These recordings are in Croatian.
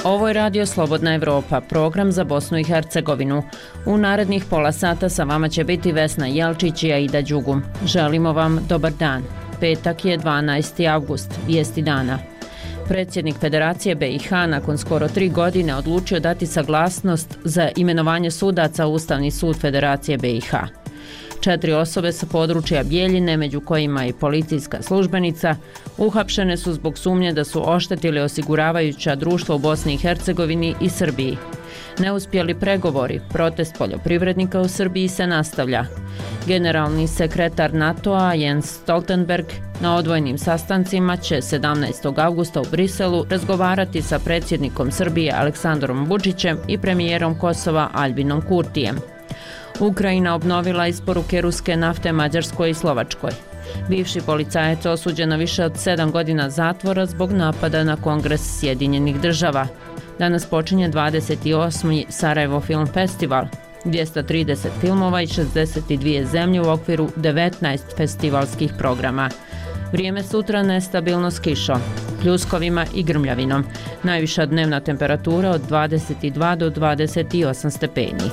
Ovo je Radio Slobodna Evropa, program za Bosnu i Hercegovinu. U narednih pola sata sa vama će biti Vesna Jelčić i Aida Đugum. Želimo vam dobar dan. Petak je 12. avgust, vijesti dana. Predsjednik Federacije BiH nakon skoro 3 godine odlučio dati saglasnost za imenovanje sudaca u Ustavni sud Federacije BiH. 4 osobe sa područja Bijeljine, među kojima i policijska službenica, uhapšene su zbog sumnje da su oštetili osiguravajuća društva u Bosni i Hercegovini i Srbiji. Neuspjeli pregovori, protest poljoprivrednika u Srbiji se nastavlja. Generalni sekretar NATO-a Jens Stoltenberg na odvojenim sastancima će 17. avgusta u Briselu razgovarati sa predsjednikom Srbije Aleksandrom Vučićem i premijerom Kosova Albinom Kurtijem. Ukrajina obnovila isporuke ruske nafte Mađarskoj i Slovačkoj. Bivši policajac osuđen na više od 7 godina zatvora zbog napada na Kongres Sjedinjenih država. Danas počinje 28. Sarajevo Film Festival. 230 filmova i 62 zemlje u okviru 19 festivalskih programa. Vrijeme sutra nestabilno s kišom, pljuskovima i grmljavinom. Najviša dnevna temperatura od 22 do 28 stepeni.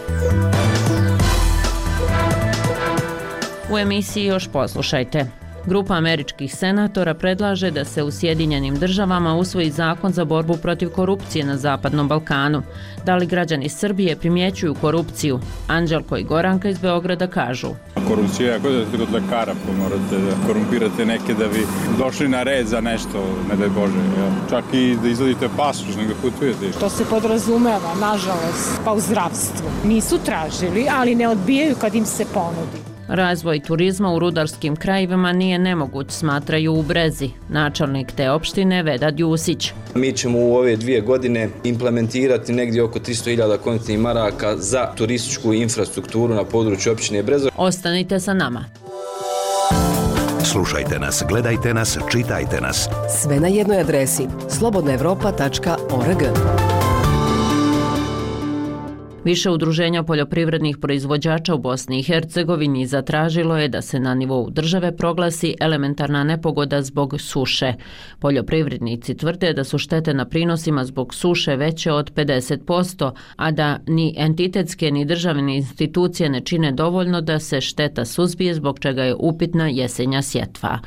U emisiji još poslušajte. Grupa američkih senatora predlaže da se u Sjedinjenim državama usvoji zakon za borbu protiv korupcije na Zapadnom Balkanu. Da li građani Srbije primjećuju korupciju? Anđelko i Goranka iz Beograda kažu. Korupcija je ako da ste kod lekara, pa morate da korumpirate neke da bi došli na red za nešto, ne daj Bože. Ja. Čak i da izvadite pasoš, nego putujete. To se podrazumeva, nažalost, pa u zdravstvu. Nisu tražili, ali ne odbijaju kad im se ponudi. Razvoj turizma u rudarskim krajevima nije nemoguć, smatraju u Brezi. Načelnik te opštine Vedad Jusić. Mi ćemo u ove 2 godine implementirati negdje oko 300.000 kontejnernih maraka za turističku infrastrukturu na području općine Brezov. Ostanite sa nama. Slušajte nas, gledajte nas, čitajte nas. Sve na jednoj adresi slobodnaevropa.org. Više udruženja poljoprivrednih proizvođača u Bosni i Hercegovini zatražilo je da se na nivou države proglasi elementarna nepogoda zbog suše. Poljoprivrednici tvrde da su štete na prinosima zbog suše veće od 50%, a da ni entitetske ni državne institucije ne čine dovoljno da se šteta suzbije, zbog čega je upitna jesenja sjetva.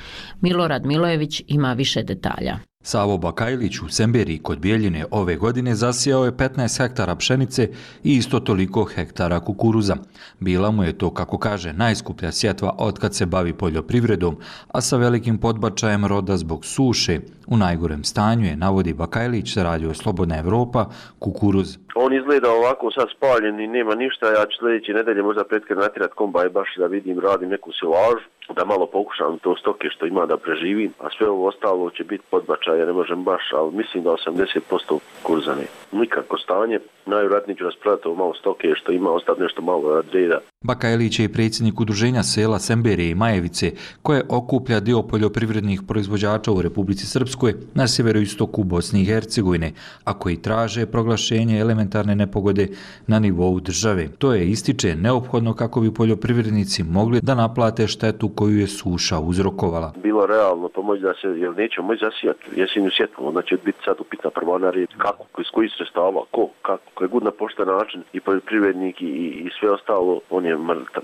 Milorad Milojević ima više detalja. Savo Bakajlić u Semberiji kod Bijeljine ove godine zasijao je 15 hektara pšenice i isto toliko hektara kukuruza. Bila mu je to, kako kaže, najskuplja sjetva otkad se bavi poljoprivredom, a sa velikim podbačajem roda zbog suše. U najgorem stanju je, navodi Bakajlić, sa Radio Slobodna Evropa, kukuruz. On izgleda ovako sad spaljen i nema ništa, ja ću sljedeće nedelje možda pretkad natirat kombaj baš da vidim, radim neku silažu, da malo pokušam to stoke što ima da preživim, a sve ovo ostalo će biti podbačaj, ja ne možem baš, ali mislim da 80% kurzane. Nikako stanje, najvjerojatnije ću rasprodati ovo malo stoke što ima, ostati nešto malo od reda. Bakajlić je i predsjednik udruženja sela Semberije i Majevice, koje okuplja dio poljoprivrednih proizvođača u Republici Srpskoj na sjeveroistoku Bosne i Hercegovine, a koji traže proglašenje elementarne nepogode na nivou države. To je, ističe, neophodno kako bi poljoprivrednici mogli da naplate štetu koju je suša uzrokovala. Bilo realno pomoći da se, jer nećemo moći zasijati jesenju sjetvu, onda će biti sad upitna prvana red, kako, iz kojih sredstava, kako, koji god na pošten način i poljoprivrednik i sve ostalo, on je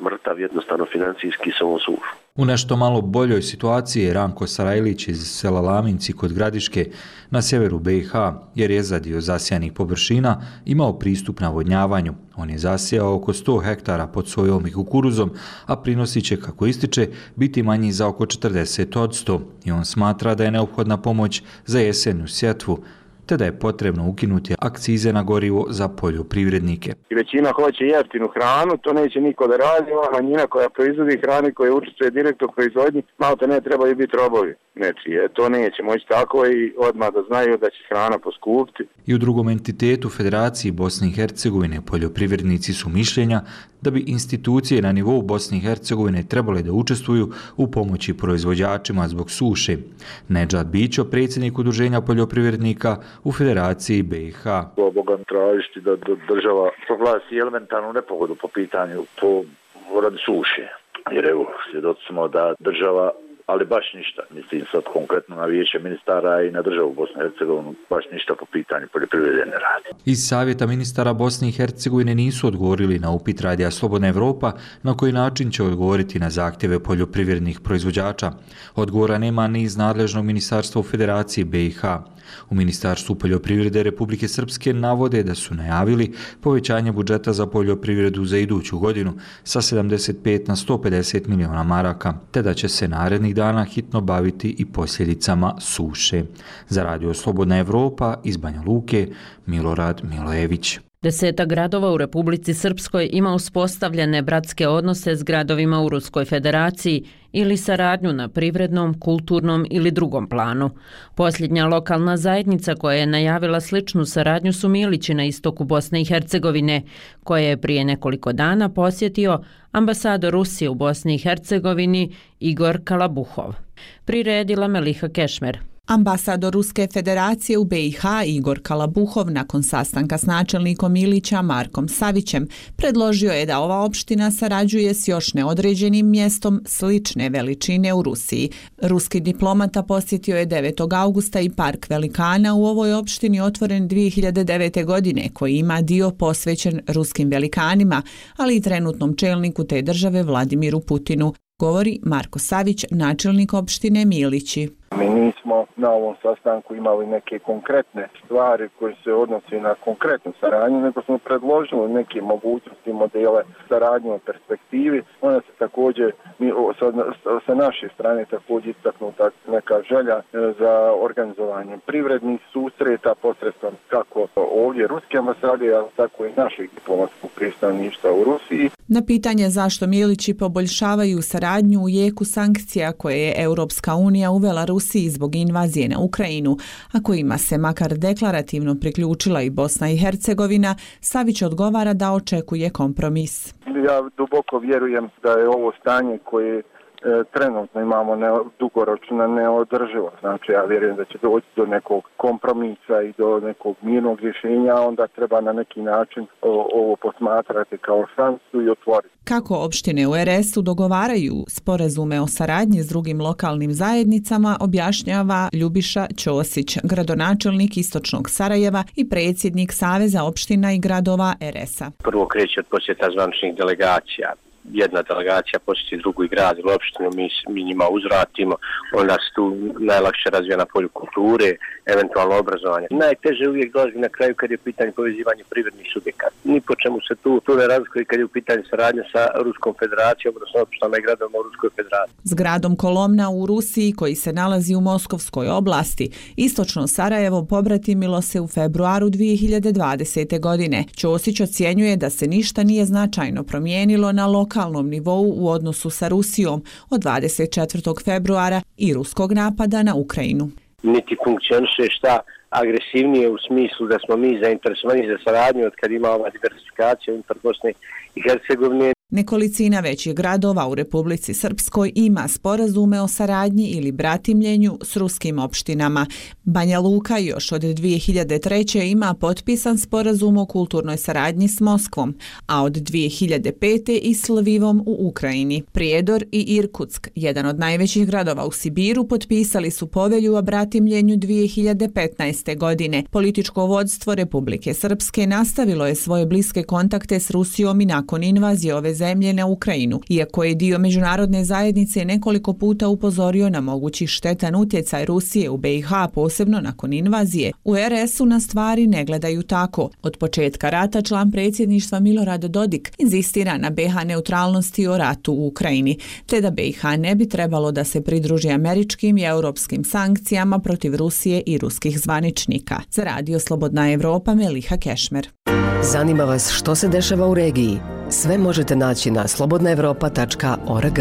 mrtav jednostavno financijski samo sušu. U nešto malo boljoj situaciji je Ranko Sarajlić iz sela Laminci kod Gradiške na sjeveru BiH, jer je za dio zasijanih površina imao pristup navodnjavanju. On je zasijao oko 100 hektara pod sojom i kukuruzom, a prinosi će, kako ističe, biti manji za oko 40%. I on smatra da je neophodna pomoć za jesenju sjetvu, te da je potrebno ukinuti akcize na gorivo za poljoprivrednike. Većina hoće jeftinu hranu, to neće niko da radi, ova manjina koja proizvodi hranu i koja učestvuje direktno u proizvodnji, malo te ne trebaju biti robovi. Nečije, to neće moći tako i odmah da znaju da će hrana poskupiti. I u drugom entitetu Federaciji Bosne i Hercegovine poljoprivrednici su mišljenja da bi institucije na nivou Bosne i Hercegovine trebale da učestvuju u pomoći proizvođačima zbog suše. Nedžad Bićo, predsjednik udruženja poljoprivrednika u Federaciji BiH. Boga tražiti da država proglasi elementarnu nepogodu po pitanju radi suše. Jer evo, svjedoci smo da država ali baš ništa. Mislim sad konkretno na vijeće ministara i na državu Bosne i Hercegovine baš ništa po pitanju poljoprivrede ne radi. Iz Savjeta ministara Bosne i Hercegovine nisu odgovorili na upit Radija Slobodna Evropa na koji način će odgovoriti na zahtjeve poljoprivrednih proizvođača. Odgovora nema ni iz nadležnog ministarstva u Federaciji BiH. U Ministarstvu poljoprivrede Republike Srpske navode da su najavili povećanje budžeta za poljoprivredu za iduću godinu sa 75 na 150 miliona maraka, te da će se narednih dana hitno baviti i posljedicama suše. Za Radio Slobodna Evropa iz Banja Luke, Milorad Milojević. 10 gradova u Republici Srpskoj ima uspostavljene bratske odnose s gradovima u Ruskoj Federaciji ili saradnju na privrednom, kulturnom ili drugom planu. Posljednja lokalna zajednica koja je najavila sličnu saradnju su Milići na istoku Bosne i Hercegovine, koje je prije nekoliko dana posjetio ambasador Rusije u Bosni i Hercegovini Igor Kalabuhov. Priredila Meliha Kešmer. Ambasador Ruske Federacije u BiH Igor Kalabuhov nakon sastanka s načelnikom Milića Markom Savićem predložio je da ova opština sarađuje s još neodređenim mjestom slične veličine u Rusiji. Ruski diplomata posjetio je 9. augusta i park velikana u ovoj opštini otvoren 2009. godine koji ima dio posvećen ruskim velikanima, ali i trenutnom čelniku te države Vladimiru Putinu, govori Marko Savić, načelnik opštine Milići. Mi nismo na ovom sastanku imali neke konkretne stvari koje se odnose na konkretnu saradnju, nego smo predložili neke mogućnosti, modele saradnje u perspektivi. Ona se također, sa naše strane također istaknuta neka želja za organizovanje privrednih susreta posredstvom kako ovdje ruske ambasade, ali tako i našeg diplomatskog predstavništva u Rusiji. Na pitanje zašto Milići poboljšavaju saradnju u jeku sankcija koje je Europska unija uvela Rusiji zbog invazije na Ukrajinu, a kojima se makar deklarativno priključila i Bosna i Hercegovina, Savić odgovara da očekuje kompromis. Ja duboko vjerujem da je ovo stanje koje trenutno imamo dugoročno neodrživo. Znači ja vjerujem da će doći do nekog kompromisa i do nekog mirnog rješenja, onda treba na neki način ovo posmatrati kao šansu i otvoriti. Kako opštine u RS-u dogovaraju sporazume o saradnji s drugim lokalnim zajednicama, objašnjava Ljubiša Ćosić, gradonačelnik Istočnog Sarajeva i predsjednik Saveza opština i gradova RS-a. Prvo kreće od posjeta zvaničnih delegacija. Jedna delegacija posjeti drugu i grad ili opštinu, mi njima uzvratimo, onda se tu najlakše razvija na polju kulture, eventualno obrazovanje. Najteže uvijek dolazi na kraju kad je pitanje povezivanja privrednih subjekata. Ni po čemu se tu ne razlikuje kad je u pitanju saradnja sa Ruskom Federacijom, odnosno opštinama i gradovima u Ruskoj Federaciji. S gradom Kolomna u Rusiji, koji se nalazi u Moskovskoj oblasti, Istočno Sarajevo pobratimilo se u februaru 2020. godine. Ćosić ocjenjuje da se ništa nije značajno promijenilo na lokalnom nivou u odnosu sa Rusijom od 24. februara i ruskog napada na Ukrajinu. Niti funkcioniše šta agresivnije u smislu da smo mi zainteresovani za saradnju od kad ima ova diversifikacija unutar Bosne i Hercegovine. Nekolicina većih gradova u Republici Srpskoj ima sporazume o saradnji ili bratimljenju s ruskim opštinama. Banja Luka još od 2003. ima potpisan sporazum o kulturnoj saradnji s Moskvom, a od 2005. i s Lvivom u Ukrajini. Prijedor i Irkutsk, jedan od najvećih gradova u Sibiru, potpisali su povelju o bratimljenju 2015. godine. Političko vodstvo Republike Srpske nastavilo je svoje bliske kontakte s Rusijom i nakon invazije ove zemlje na Ukrajinu, iako je dio međunarodne zajednice nekoliko puta upozorio na mogući štetan utjecaj Rusije u BiH, posebno nakon invazije. U RS-u na stvari ne gledaju tako. Od početka rata član predsjedništva Milorad Dodik inzistira na BiH neutralnosti o ratu u Ukrajini, te da BiH ne bi trebalo da se pridruži američkim i europskim sankcijama protiv Rusije i ruskih zvaničnika. Za Radio Slobodna Evropa, Meliha Kešmer. Zanima vas što se dešava u regiji? Sve možete naći na slobodnaevropa.org.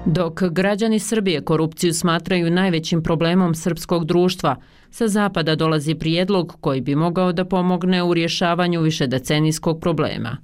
Dok građani Srbije korupciju smatraju najvećim problemom srpskog društva, sa zapada dolazi prijedlog koji bi mogao da pomogne u rješavanju višedecenijskog problema.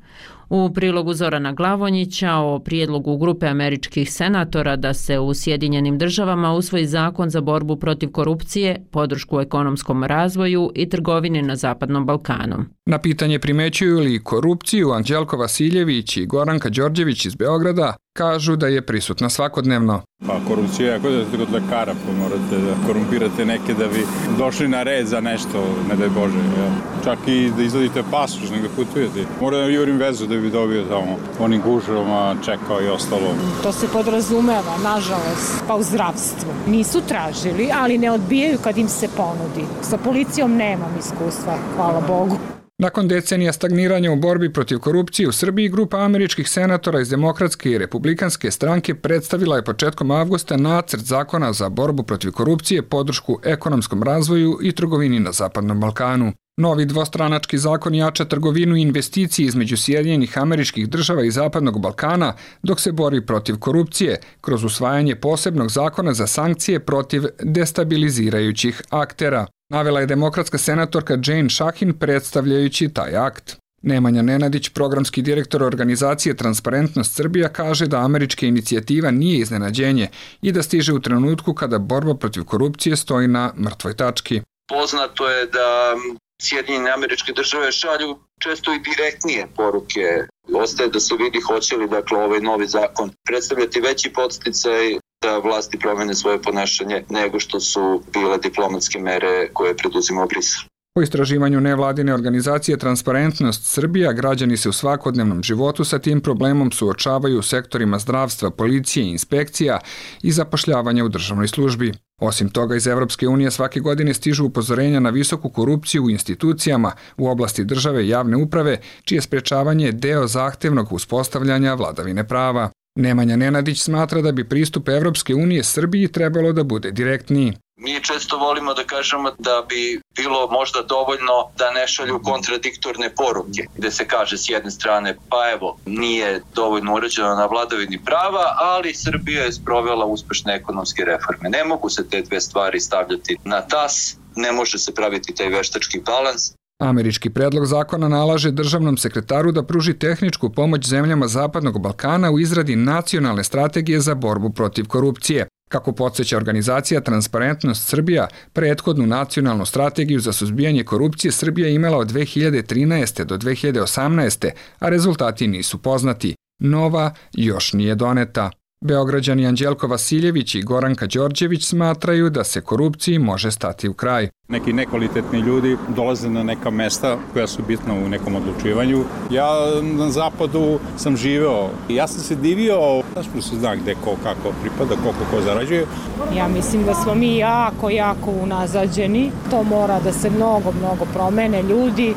U prilogu Zorana Glavonjića o prijedlogu grupe američkih senatora da se u Sjedinjenim državama usvoji zakon za borbu protiv korupcije, podršku ekonomskom razvoju i trgovini na Zapadnom Balkanu. Na pitanje primećuju li korupciju, Anđelko Vasiljević i Goranka Đorđević iz Beograda kažu da je prisutna svakodnevno. Pa korupcija je ako da ste kod lekara, pa morate da korumpirate neke da bi došli na red za nešto, ne daj Bože. Ja. Čak i da izvadite pasoš, nego putujete. Moram da jurim vezu da bi dobio tamo onim gužama, čekao i ostalo. To se podrazumeva, nažalost, pa u zdravstvu. Nisu tražili, ali ne odbijaju kad im se ponudi. Sa policijom nemam iskustva, hvala Bogu. Nakon decenija stagniranja u borbi protiv korupcije u Srbiji, grupa američkih senatora iz Demokratske i Republikanske stranke predstavila je početkom avgusta nacrt zakona za borbu protiv korupcije, podršku ekonomskom razvoju i trgovini na Zapadnom Balkanu. Novi dvostranački zakon jača trgovinu i investicije između Sjedinjenih Američkih Država i Zapadnog Balkana, dok se bori protiv korupcije kroz usvajanje posebnog zakona za sankcije protiv destabilizirajućih aktera, navela je demokratska senatorka Jane Šahin predstavljajući taj akt. Nemanja Nenadić, programski direktor organizacije Transparentnost Srbija, kaže da američka inicijativa nije iznenađenje i da stiže u trenutku kada borba protiv korupcije stoji na mrtvoj tački. Poznato je da Sjedinjene Američke Države šalju često i direktnije poruke. Ostaje da se vidi hoće li ovaj novi zakon predstavljati veći podsticaj da vlasti promene svoje ponašanje nego što su bile diplomatske mere koje preduzima Brisel. Po istraživanju nevladine organizacije Transparentnost Srbija, građani se u svakodnevnom životu sa tim problemom suočavaju u sektorima zdravstva, policije, inspekcija i zapošljavanja u državnoj službi. Osim toga, iz Evropske unije svake godine stižu upozorenja na visoku korupciju u institucijama u oblasti države i javne uprave, čije sprečavanje je deo zahtevnog uspostavljanja vladavine prava. Nemanja Nenadić smatra da bi pristup Evropske unije Srbiji trebalo da bude direktniji. Mi često volimo da kažemo da bi bilo možda dovoljno da ne šalju kontradiktorne poruke, gde se kaže s jedne strane pa evo nije dovoljno uređeno na vladavini prava, ali Srbija je sprovela uspešne ekonomske reforme. Ne mogu se te dve stvari stavljati na tas, ne može se praviti taj veštački balans. Američki predlog zakona nalaže državnom sekretaru da pruži tehničku pomoć zemljama Zapadnog Balkana u izradi nacionalne strategije za borbu protiv korupcije. Kako podsjeća organizacija Transparentnost Srbija, prethodnu nacionalnu strategiju za suzbijanje korupcije Srbija je imala od 2013. do 2018. a rezultati nisu poznati. Nova još nije doneta. Beograđani Anđelko Vasiljević i Goranka Đorđević smatraju da se korupciji može stati u kraj. Neki nekvalitetni ljudi dolaze na neka mesta koja su bitna u nekom odlučivanju. Ja na zapadu sam živeo i ja sam se divio, zašto se zna gde ko kako pripada, koliko ko zarađuje. Ja mislim da smo mi jako unazađeni. To mora da se mnogo promene ljudi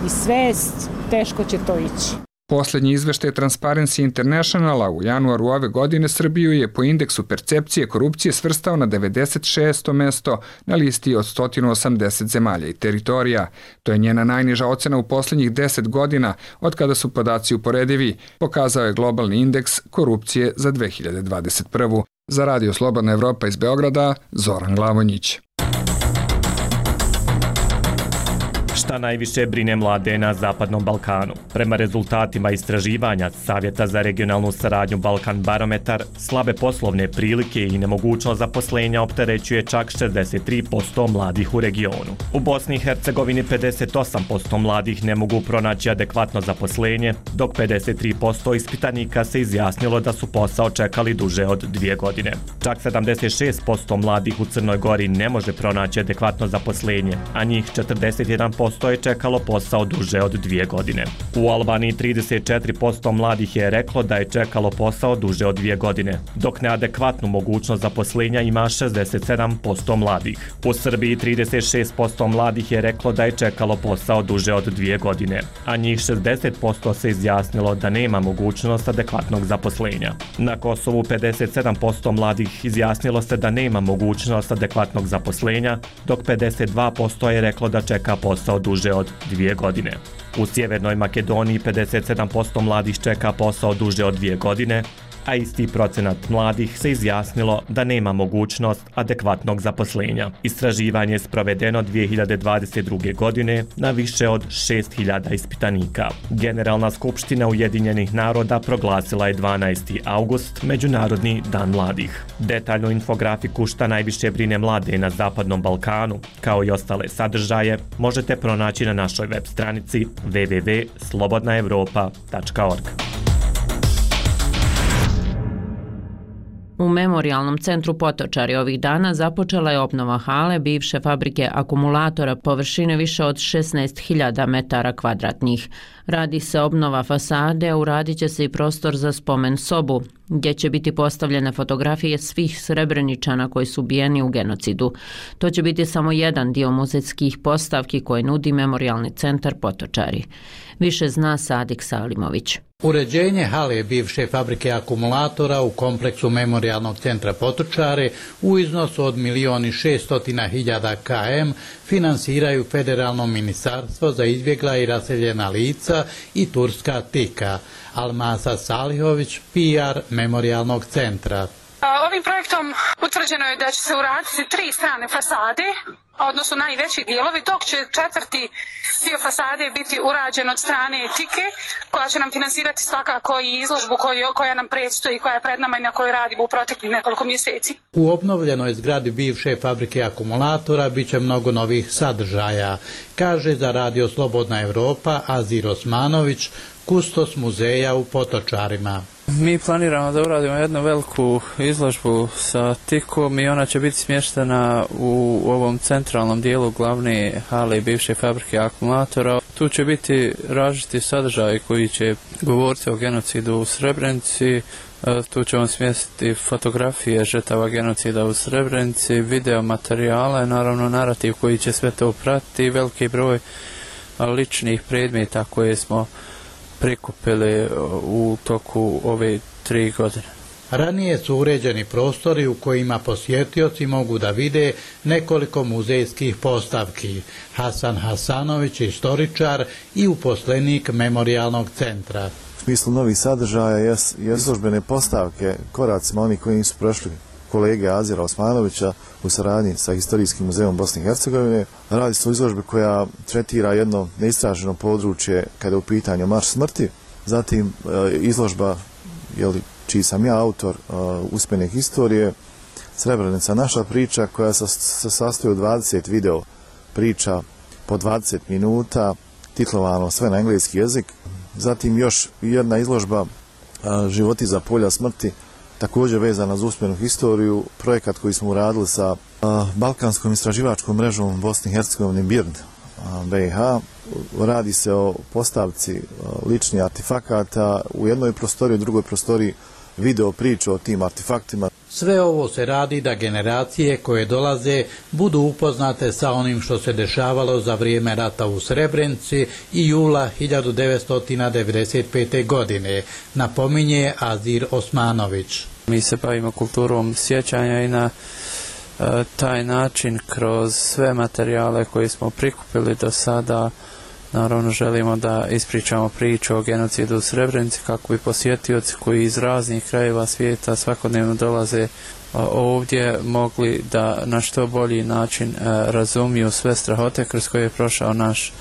i svest, teško će to ići. Posljednji izveštaj Transparency Internationala u januaru ove godine Srbiju je po indeksu percepcije korupcije svrstao na 96. mesto na listi od 180 zemalja i teritorija. To je njena najniža ocena u posljednjih 10 godina od kada su podaci uporedivi, pokazao je globalni indeks korupcije za 2021. Za Radio Slobodna Evropa iz Beograda, Zoran Glavonjić. Šta najviše brine mlade na Zapadnom Balkanu? Prema rezultatima istraživanja Savjeta za regionalnu saradnju Balkan Barometar, slabe poslovne prilike i nemogućnost zaposlenja opterećuje čak 63% mladih u regionu. U Bosni i Hercegovini 58% mladih ne mogu pronaći adekvatno zaposlenje, dok 53% ispitanika se izjasnilo da su posao čekali duže od 2 godine. Čak 76% mladih u Crnoj Gori ne može pronaći adekvatno zaposlenje, a njih 41% je čekalo posao duže od 2 godine. U Albaniji 34% mladih je reklo da je čekalo posao duže od 2 godine, dok neadekvatnu mogućnost zaposlenja ima 67% mladih. U Srbiji 36% mladih je reklo da je čekalo posao duže od 2 godine, a njih 60% se izjasnilo da nema mogućnost adekvatnog zaposlenja. Na Kosovu 57% mladih izjasnilo se da nema mogućnost adekvatnog zaposlenja, dok 52% je reklo da čeka posao duže od 2 godine. U Sjevernoj Makedoniji 57% mladih čeka posao duže od 2 godine, a isti procenat mladih se izjasnilo da nema mogućnost adekvatnog zaposlenja. Istraživanje je sprovedeno 2022. godine na više od 6000 ispitanika. Generalna skupština Ujedinjenih naroda proglasila je 12. august Međunarodni dan mladih. Detaljnu infografiku šta najviše brine mlade na Zapadnom Balkanu, kao i ostale sadržaje, možete pronaći na našoj web stranici www.slobodnaevropa.org. U Memorijalnom centru Potočari ovih dana započela je obnova hale bivše fabrike akumulatora površine više od 16.000 metara kvadratnih. Radi se obnova fasade, a uradit će se i prostor za spomen sobu, gdje će biti postavljene fotografije svih Srebreničana koji su ubijeni u genocidu. To će biti samo jedan dio muzejskih postavki koje nudi Memorijalni centar Potočari. Više zna Sadik Salimović. Uređenje hale bivše fabrike akumulatora u kompleksu Memorijalnog centra Potočare u iznosu od 1.600.000 km finansiraju Federalno ministarstvo za izbjegla i raseljena lica i Turska TIKA. Almasa Salihović, PR Memorijalnog centra. Ovim projektom utvrđeno je da će se uraditi 3 strane fasade, odnosno najveći dijelovi, dok će četvrti dio fasade biti urađen od strane TIKE, koja će nam finansirati svakako i izložbu koja nam predstoji, koja je pred nama i na kojoj radimo u proteklih nekoliko mjeseci. U obnovljenoj zgradi bivše fabrike akumulatora bit će mnogo novih sadržaja, kaže za Radio Slobodna Evropa Azir Osmanović, kustos muzeja u Potočarima. Mi planiramo da uradimo jednu veliku izložbu sa TIK-om i ona će biti smještena u ovom centralnom dijelu glavne hale bivše fabrike akumulatora. Tu će biti različiti sadržaji koji će govoriti o genocidu u Srebrenici. Tu ćemo smjestiti fotografije žrtava genocida u Srebrenici, video materijale, naravno narativ koji će sve to pratiti i veliki broj ličnih predmeta koje smo prikupili u toku ove 3 godine. Ranije su uređeni prostori u kojima posjetioci mogu da vide nekoliko muzejskih postavki. Hasan Hasanović, istoričar i uposlenik Memorijalnog centra. U smislu novih sadržaja je izložbene postavke koracima oni koji nisu prošli kolege Azira Osmanovića u saradnji sa Historijskim muzejom Bosne i Hercegovine. Radi se o izložbi koja tretira jedno neistraženo područje kada je u pitanju marš smrti. Zatim izložba, čiji sam ja autor, uspjene historije, Srebrenica naša priča, koja se sastoji od 20 video priča po 20 minuta, titlovano sve na engleski jezik. Zatim još jedna izložba Životi za polja smrti, također vezana za uspjenu historiju, projekat koji smo uradili sa Balkanskom istraživačkom mrežom Bosne i Hercegovine BIRD BiH. Radi se o postavci ličnih artefakata u jednoj prostoriji, u drugoj prostoriji video priču o tim artefaktima. Sve ovo se radi da generacije koje dolaze budu upoznate sa onim što se dešavalo za vrijeme rata u Srebrenici i jula 1995. godine, napominje Azir Osmanović. Mi se bavimo kulturom sjećanja i na taj način kroz sve materijale koje smo prikupili do sada naravno želimo da ispričamo priču o genocidu u Srebrenici kako bi posjetioci koji iz raznih krajeva svijeta svakodnevno dolaze ovdje mogli da na što bolji način razumiju sve strahote kroz koje je prošao naš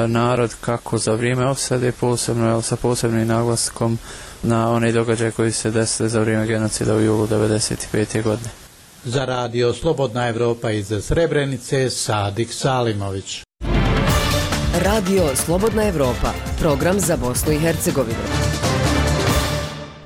narod, kako za vrijeme opsade posebno, sa posebnim naglaskom na one događaje koji se desili za vrijeme genocida u julu 1995. godine. Za Radio Slobodna Evropa iz Srebrenice, Sadik Salimović. Radio Slobodna Evropa, program za Bosnu i Hercegovinu.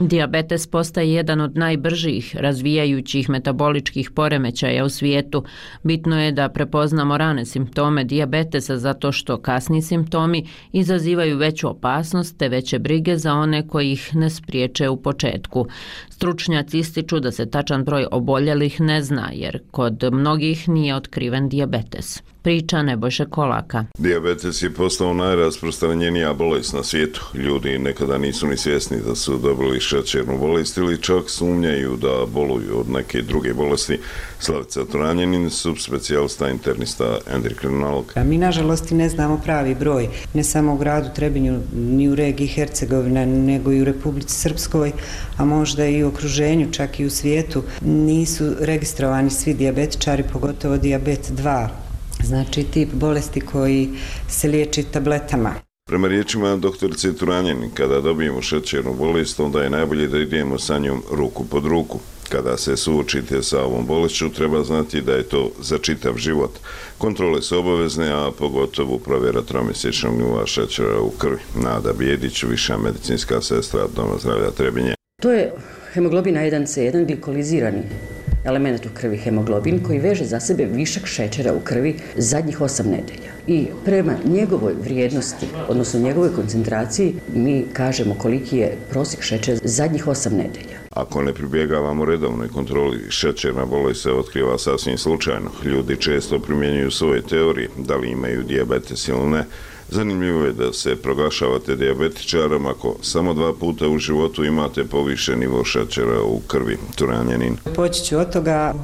Dijabetes postaje jedan od najbržih razvijajućih metaboličkih poremećaja u svijetu. Bitno je da prepoznamo rane simptome dijabetesa zato što kasni simptomi izazivaju veću opasnost te veće brige za one koji ih ne spriječe u početku. Stručnjaci ističu da se tačan broj oboljelih ne zna jer kod mnogih nije otkriven dijabetes. priča Nebojša Kolaka. Dijabetes je postao najrasprostranjenija bolest na svijetu. Ljudi nekada nisu ni svjesni da su dobili šećernu bolest ili čak sumnjaju da boluju od neke druge bolesti. Slavica Turanjanin, subspecijalista internista endokrinolog. Mi nažalost ne znamo pravi broj, ne samo u gradu Trebinju, ni u regiji Hercegovina, nego i u Republici Srpskoj, a možda i u okruženju, čak i u svijetu, nisu registrovani svi dijabetičari, pogotovo dijabet 2, znači tip bolesti koji se liječi tabletama. Prema riječima doktorice Turanjanin, kada dobijemo šećernu bolest, onda je najbolje da idemo sa njom ruku pod ruku. Kada se suočite sa ovom bolešću, treba znati da je to za čitav život. Kontrole su obavezne, a pogotovo provjera tromjesečnog nivoa šećera u krvi. Nada Bijedić, viša medicinska sestra Doma zdravlja Trebinje. To je hemoglobin A1C1, glikolizirani element u krvi, hemoglobin, koji veže za sebe višak šećera u krvi zadnjih 8 nedelja. I prema njegovoj vrijednosti, odnosno njegovoj koncentraciji, mi kažemo koliki je prosjek šećera zadnjih 8 nedelja. Ako ne pribjegavamo redovnoj kontroli, šećerna bolest se otkriva sasvim slučajno. Ljudi često primjenjuju svoje teorije, da li imaju dijabetes ili ne. Zanimljivo je da se proglašavate dijabetičarom ako samo 2 puta u životu imate povišen nivo šećera u krvi. Turanjanin. Poći ću od toga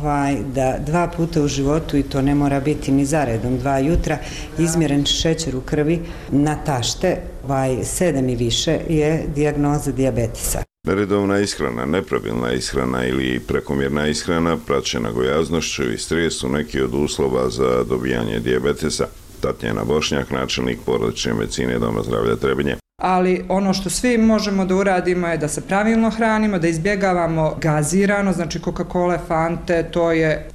da 2 puta u životu, i to ne mora biti ni zaredom, 2 jutra, izmjeren šećer u krvi na tašte, 7 i više je dijagnoza dijabetesa. Neredovna ishrana, nepravilna ishrana ili prekomjerna ishrana, praćena gojaznošću i stres su neki od uslova za dobijanje dijabetesa. Tatjana Bošnjak, načelnik porodične medicine Doma zdravlja Trebinje. Ali ono što svi možemo da uradimo je da se pravilno hranimo, da izbjegavamo gazirano, znači Coca-Cola, Fante, to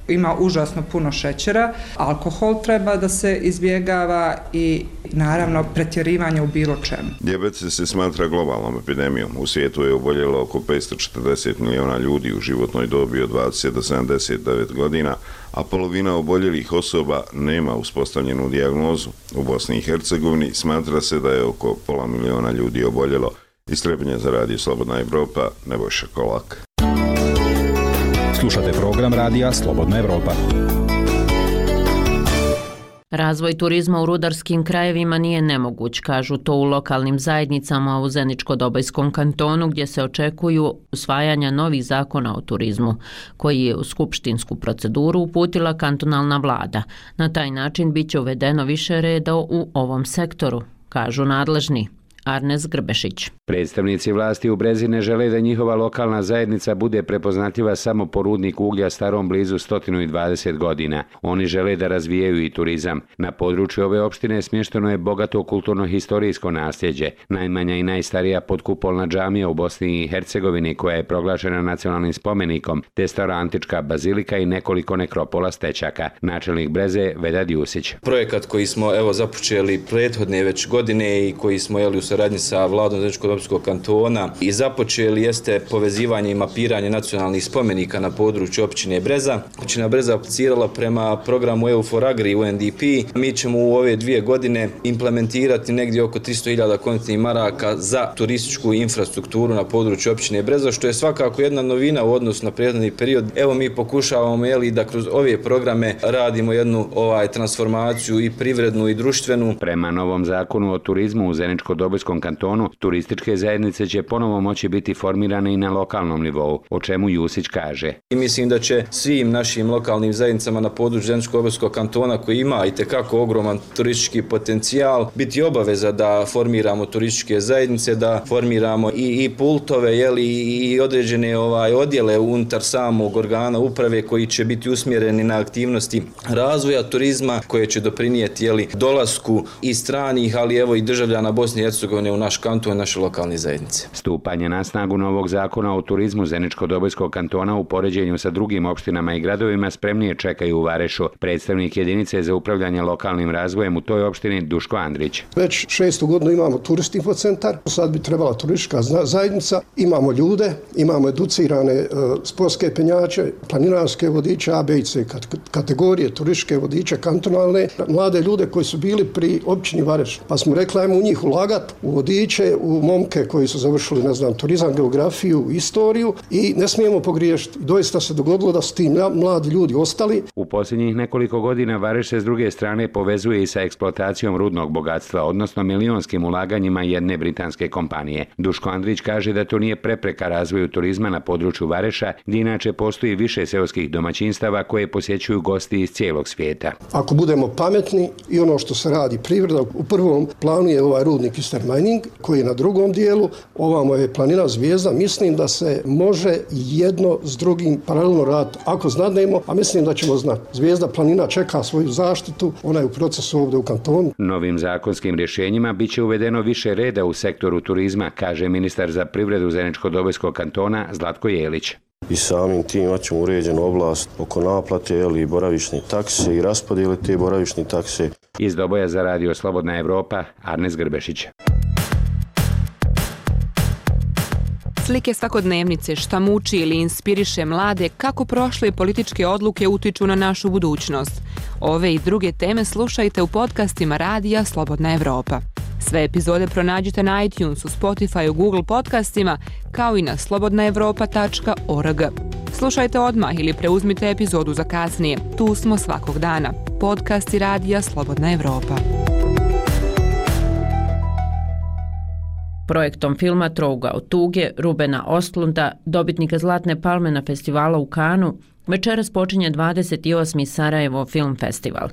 ima užasno puno šećera. Alkohol treba da se izbjegava i naravno pretjerivanje u bilo čemu. Dijabetes se smatra globalnom epidemijom. U svijetu je oboljelo oko 540 miliona ljudi u životnoj dobi od 20 do 79 godina, a polovina oboljelih osoba nema uspostavljenu dijagnozu. U Bosni i Hercegovini smatra se da je oko pola miliona ljudi oboljelo. Iz Trebinja za radio Slobodna Evropa, Nebojša Kolak. Slušate program radija Slobodna Evropa. Razvoj turizma u rudarskim krajevima nije nemoguć, kažu to u lokalnim zajednicama u Zeničko-Dobojskom kantonu, gdje se očekuju usvajanja novih zakona o turizmu, koji je u skupštinsku proceduru uputila kantonalna vlada. Na taj način bit će uvedeno više reda u ovom sektoru, kažu nadležni. Arnes Grbešić. Predstavnici vlasti u Brezine žele da njihova lokalna zajednica bude prepoznatljiva samo po rudniku uglja starom blizu 120 godina. Oni žele da razvijaju i turizam. Na području ove opštine smješteno je bogato kulturno-historijsko nasljeđe, najmanja i najstarija podkupolna džamija u Bosni i Hercegovini koja je proglašena nacionalnim spomenikom, te stara antička bazilika i nekoliko nekropola stečaka. Načelnik Breze Vedad Jusić. Projekat koji smo započeli prethodne već godine i koji smo u saradnji sa vladom Zeničko-Dobojskog kantona i započeli jeste povezivanje i mapiranje nacionalnih spomenika na području općine Breza. Općina Breza aplicirala prema programu EU4Agri UNDP. Mi ćemo u ove 2 godine implementirati negdje oko 300.000 kontinentnih maraka za turističku infrastrukturu na području općine Breza, što je svakako jedna novina u odnosu na prethodni period. Evo mi pokušavamo da kroz ove programe radimo jednu transformaciju i privrednu i društvenu. Prema novom zakonu o turizmu u Zeničko-Dobojskom kantonu, turističke zajednice će ponovo moći biti formirane i na lokalnom nivou, o čemu Jusić kaže. I mislim da će svim našim lokalnim zajednicama na području Zeničko-Dobojskog kantona, koji ima itekako ogroman turistički potencijal, biti obaveza da formiramo turističke zajednice, da formiramo i pultove, i određene odjele unutar samog organa uprave koji će biti usmjereni na aktivnosti razvoja turizma, koje će doprinijeti dolasku i stranih, ali i državljana Bosne i Hercegovine u naš kanton i naše lokalne zajednice. Stupanje na snagu novog zakona o turizmu Zeničko-Dobojskog kantona u poređenju sa drugim opštinama i gradovima spremnije čekaju u Varešu. Predstavnik jedinice za upravljanje lokalnim razvojem u toj opštini Duško Andrić. Već 6. godinu imamo turistički infocentar, sad bi trebala turistička zajednica, imamo ljude, imamo educirane sportske penjače, planinarske vodiče A, B i C kategorije, turističke vodiče kantonalne, mlade ljude koji su bili pri općini Vareš. Pa smo rekli ajmo u njih ulagati u vodiče, u momke koji su završili, ne znam, turizam, geografiju, istoriju i ne smijemo pogriješiti. Doista se dogodilo da su ti mladi ljudi ostali. U posljednjih nekoliko godina Vareš se s druge strane povezuje i sa eksploatacijom rudnog bogatstva, odnosno milionskim ulaganjima jedne britanske kompanije. Duško Andrić kaže da to nije prepreka razvoju turizma na području Vareša, gdje inače postoji više seoskih domaćinstava koje posjećuju gosti iz cijelog svijeta. Ako budemo pametni i ono što se radi privreda, u prvom planu je ovaj rudnik Eastern Mining, koji je na drugom dijelu, ovamo je planina Zvijezda, mislim da se može jedno s drugim paralelno raditi ako znademo, a mislim da ćemo znati. Zvijezda planina čeka svoju zaštitu, ona je u procesu ovdje u kantonu. Novim zakonskim rješenjima bit će uvedeno više reda u sektoru turizma, kaže ministar za privredu Zeničko-Dobojskog kantona Zlatko Jelić. I samim tim imaćemo uređenu oblast oko naplate i boravišne takse i raspodjele te boravišne takse. Iz Doboja za radio Slobodna Evropa, Arnes Grbešić. Slike svakodnevnice, šta muči ili inspiriše mlade, kako prošle političke odluke utiču na našu budućnost. Ove i druge teme slušajte u podcastima radija Slobodna Evropa. Sve epizode pronađite na iTunesu, Spotify, Google podcastima, kao i na slobodnaevropa.org. Slušajte odmah ili preuzmite epizodu za kasnije. Tu smo svakog dana. Podcasti radija Slobodna Evropa. Projektom filma Trouga od tuge Rubena Ostlunda, dobitnika Zlatne palme na festivalu u Kanu, večeras počinje 28. Sarajevo Film Festival.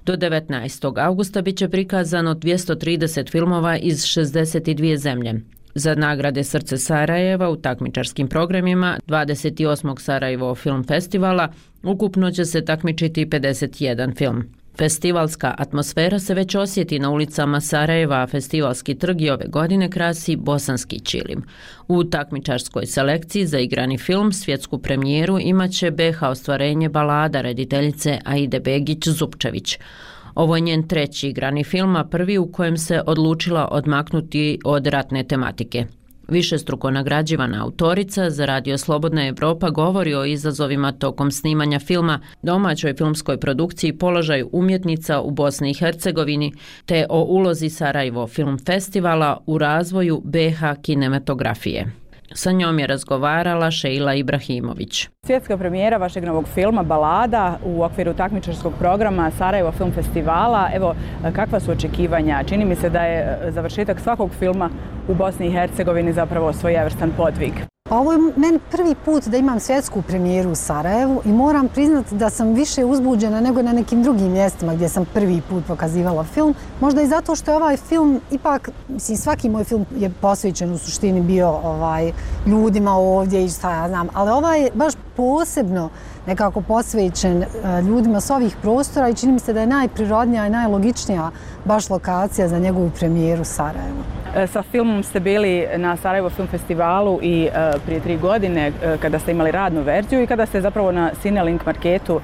Do 19. augusta bit će prikazano 230 filmova iz 62 zemlje. Za nagrade Srce Sarajeva u takmičarskim programima 28. Sarajevo Film Festivala ukupno će se takmičiti 51 film. Festivalska atmosfera se već osjeti na ulicama Sarajeva, a festivalski trg i ove godine krasi bosanski ćilim. U takmičarskoj selekciji za igrani film svjetsku premijeru imaće BH ostvarenje Balada rediteljice Aide Begić-Zupčević. Ovo je njen treći igrani film, a prvi u kojem se odlučila odmaknuti od ratne tematike. Višestruko nagrađivana autorica za radio Slobodna Evropa govori o izazovima tokom snimanja filma, domaćoj filmskoj produkciji, položaju umjetnica u Bosni i Hercegovini, te o ulozi Sarajevo Film Festivala u razvoju BH kinematografije. Sa njom je razgovarala Šeila Ibrahimović. Svjetska premijera vašeg novog filma Balada u okviru takmičarskog programa Sarajevo Film Festivala. Evo, kakva su očekivanja? Čini mi se da je završetak svakog filma u Bosni i Hercegovini zapravo svojevrstan podvig. Ovo je meni prvi put da imam svjetsku premijeru u Sarajevu i moram priznati da sam više uzbuđena nego na nekim drugim mjestima gdje sam prvi put pokazivala film. Možda i zato što je ovaj film, ipak, mislim, svaki moj film je posvećen u suštini bio ljudima ovdje i šta ja znam, ali ovaj je baš posebno nekako posvećen ljudima s ovih prostora i čini mi se da je najprirodnija i najlogičnija baš lokacija za njegovu premijeru u Sarajevu. Sa filmom ste bili na Sarajevo Film Festivalu i prije 3 godine kada ste imali radnu verziju i kada ste zapravo na Cinelink marketu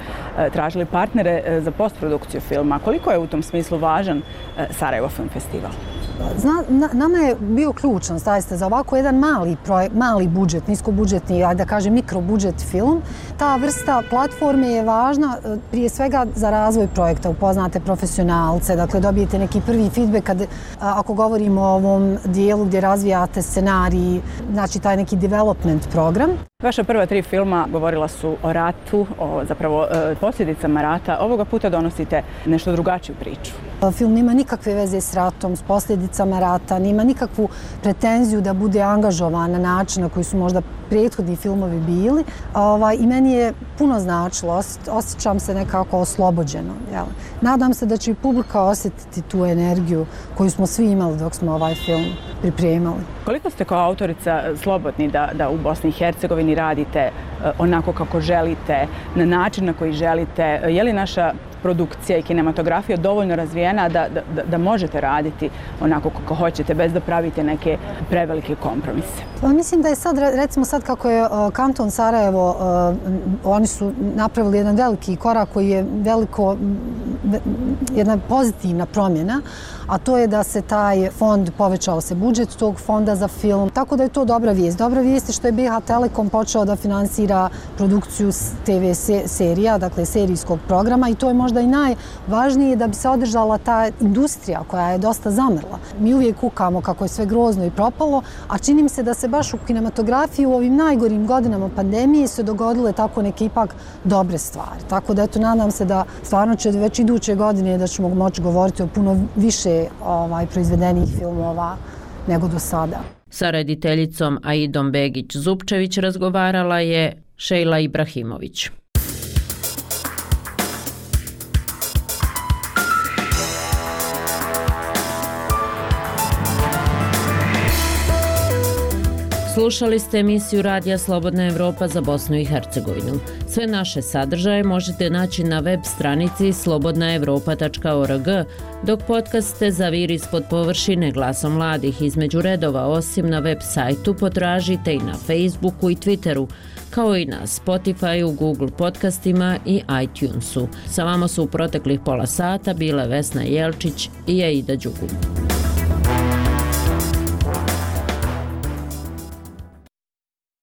tražili partnere za postprodukciju filma. Koliko je u tom smislu važan Sarajevo Film Festival? Nama je bio ključan, zaista, za ovako jedan mali budžet, niskobudžetni, da kažem mikrobudžet film. Ta vrsta platforme je važna prije svega za razvoj projekta, upoznate profesionalce, dakle dobijete neki prvi feedback ako govorimo o ovom dijelu gdje razvijate scenarij, znači taj neki development program. Vaša prva 3 filma govorila su o ratu, o zapravo posljedicama rata. Ovoga puta donosite nešto drugačiju priču. Film nema nikakve veze s ratom, s posljedicama rata, nema nikakvu pretenziju da bude angažovan na način na koji su možda prethodni filmovi bili. I meni je puno značilo, osjećam se nekako oslobođeno. Nadam se da će i publika osjetiti tu energiju koju smo svi imali dok smo ovaj film pripremali. Koliko ste kao autorica slobodni da u Bosni i Hercegovini radite onako kako želite, na način na koji želite? Je li naša produkcija i kinematografija dovoljno razvijena da možete raditi onako kako hoćete bez da pravite neke prevelike kompromise? Mislim da je sad, recimo sad kako je kanton Sarajevo, oni su napravili jedan veliki korak koji je jedna pozitivna promjena, a to je da se taj fond, povećao se budžet tog fonda za film, tako da je to dobra vijest. Dobra vijest je što je BH Telekom počeo da finansira produkciju TV serija, dakle serijskog programa, i to je možda možda i najvažnije da bi se održala ta industrija koja je dosta zamrla. Mi uvijek kukamo kako je sve grozno i propalo, a čini mi se da se baš u kinematografiji u ovim najgorim godinama pandemije se dogodile tako neke ipak dobre stvari. Tako da eto, nadam se da stvarno će već iduće godine da ćemo moći govoriti o puno više proizvedenih filmova nego do sada. Sa rediteljicom Aidom Begić-Zupčević razgovarala je Šejla Ibrahimović. Slušali ste emisiju Radija Slobodna Evropa za Bosnu i Hercegovinu. Sve naše sadržaje možete naći na web stranici slobodnaevropa.org, dok podcaste Zavir ispod površine glasom mladih između redova osim na web sajtu potražite i na Facebooku i Twitteru, kao i na Spotifyu, Google podcastima i iTunesu. Sa vama su u proteklih pola sata bile Vesna Jelčić i Aida Đugum.